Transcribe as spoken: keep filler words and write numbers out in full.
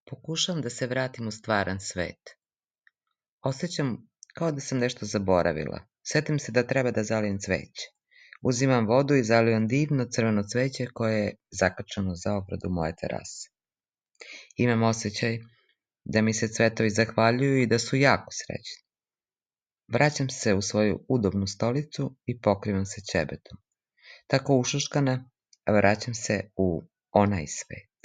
Pokušavam da se vratim u stvaran svet. Osjećam kao da sam nešto zaboravila. Setim se da treba da zalijem cveće. Uzimam vodu i zalivam divno crveno cveće koje je zakačano za obradu moje terase. Imam osjećaj da mi se cvetovi zahvaljuju i da su jako srećni. Vraćam se u svoju udobnu stolicu i pokrivam se ćebetom. Tako ušuškana, vraćam se u onaj svet.